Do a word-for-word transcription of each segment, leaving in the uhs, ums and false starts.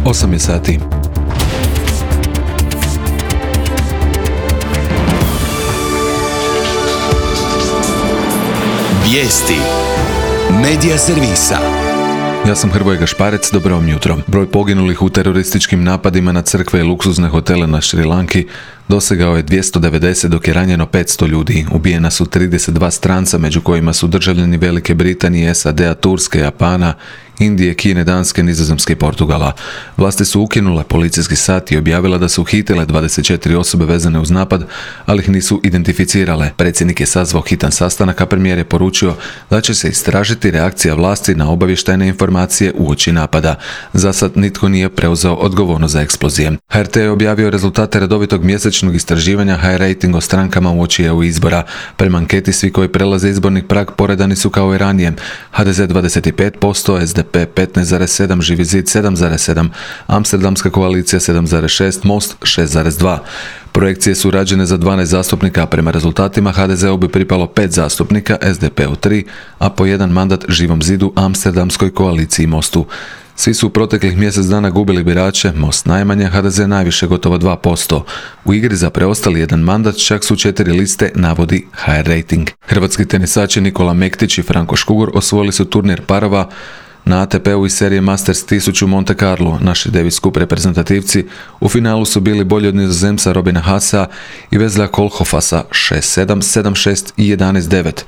osam je sati. Vijesti Medija servisa. Ja sam Hrvoje Gašparec, dobro vam jutro. Broj poginulih u terorističkim napadima na crkve i luksuzne hotele na Šrilanki dosegao je dvjesto devedeset, dok je ranjeno petsto ljudi. Ubijena su trideset dva stranca, među kojima su državljani Velike Britanije, S A D-a, Turske, Japana, Indije, Kine, Danske, Nizozemske i Portugala. Vlasti su ukinule policijski sat i objavila da su uhitile dvadeset četiri osobe vezane uz napad, ali ih nisu identificirale. Predsjednik je sazvao hitan sastanak, a premijer je poručio da će se istražiti reakcija vlasti na obavještajne informacije uoči napada. Zasad nitko nije preuzeo odgovornost za eksplozije. H R T je objavio rezultate redovitog mjesečnog istraživanja High Rating o strankama uoči E U izbora. Prema anketi svi koji prelaze izborni prag poredani su kao i ranije. H D Z dvadeset pet posto, S D P petnaest zarez sedam, Živi zid sedam zarez sedam, Amsterdamska koalicija sedam zarez šest, Most šest zarez dva. Projekcije su rađene za dvanaest zastupnika, a prema rezultatima H D Z-u bi pripalo pet zastupnika, S D P-u tri, a po jedan mandat Živom zidu, Amsterdamskoj koaliciji i Mostu. Svi su u proteklih mjesec dana gubili birače, Most najmanje, H D Z najviše, gotovo dva posto. U igri za preostali jedan mandat čak su četiri liste, navodi H R Rating. Hrvatski tenisači Nikola Mektić i Franko Škugor osvojili su turnir parova na A T P-u iz serije Masters tisuću u Monte Carlo. Naši Davis Cup reprezentativci u finalu su bili bolji od Nizozemca Robina Haasa i Vezla Kolhofasa šest sedam, sedam šest i jedanaest devet.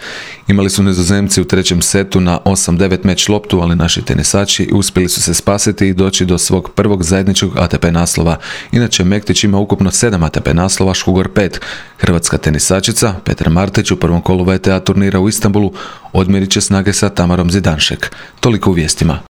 Imali su Nizozemci u trećem setu na osam devet meč loptu, ali naši tenisači uspjeli su se spasiti i doći do svog prvog zajedničkog A T P naslova. Inače, Mektić ima ukupno sedam A T P naslova, Škugor pet. Hrvatska tenisačica Petra Martić u prvom kolu V T A turnira u Istanbulu odmjerit će snage sa Tamarom Zidanšek. Toliko u vijestima.